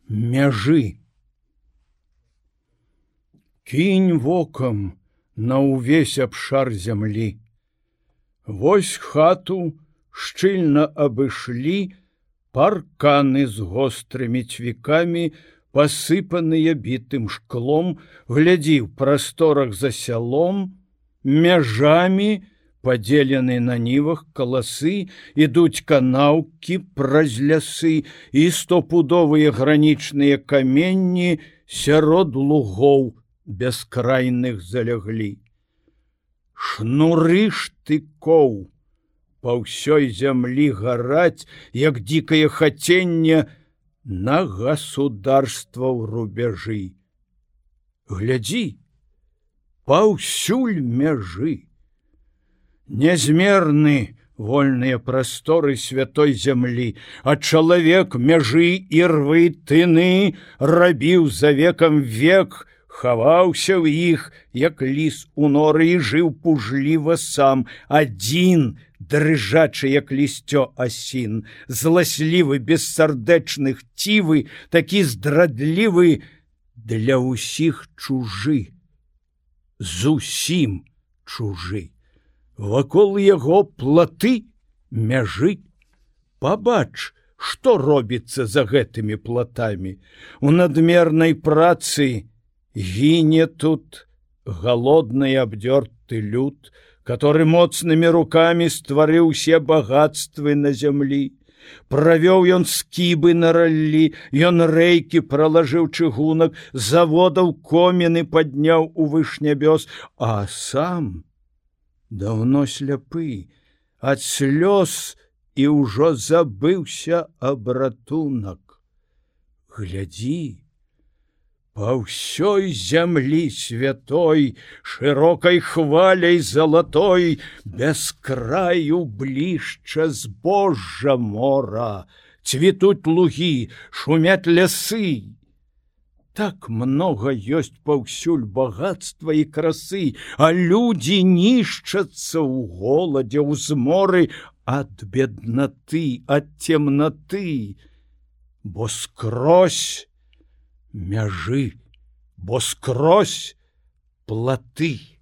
Мяжы. Кінь вокам на ўвесь абшар зямлі. Вось хату шчыльна абышлі парканы з гострымі цвікамі, пасыпаныя бітым шклом, глядзі, ў прасторах за сялом, мяжамі падзелены на нівах каласы, ідуць канаўкі праз лясы і стопудовыя гранічныя каменні сярод лугоў бяскрайных заляглі. Шнуры штыкоў па ўсёй зямлі гараць, як дзікае хаценне на государства ў рубяжы. Глядзі, паўсюль мяжы. Нязмерны вольныя прасторы святой зямлі, а чалавек мяжы і рвы тыны рабіў за векам век, хаваўся ў іх, як ліс у норы, і жыў пужліва сам, адзін, дрыжачы, як лісцё асін, зласлівы, бессардэчны, хцівы, такі здрадлівы, для ўсіх чужы, зусім чужы. Вакол яго платы, мяжы. Пабач, што робіцца за гэтымі платамі. У надмернай працы гіне тут галодны абдёрты люд, который моцнымі рукамі стварыў усе багатствы на зямлі. Правёў ён скібы на раллі, ён рэйкі пралажыў чыгунак, заводаў коміны падняў у выш нябёс, а сам даўно сляпы ад слёз і ўжо забыўся аб ратунак. Глядзі, па ўсёй зямлі святой, шырокай хваляй залатой, без краю блішча збожжа мора, цвітуць лугі, шумяць лясы. Так много ёсць паўсюль багатства і красы, а людзі нішчацца ў голадзе, ў зморы ад беднаты, ад цемнаты, бо скрозь мяжы, бо скрозь платы.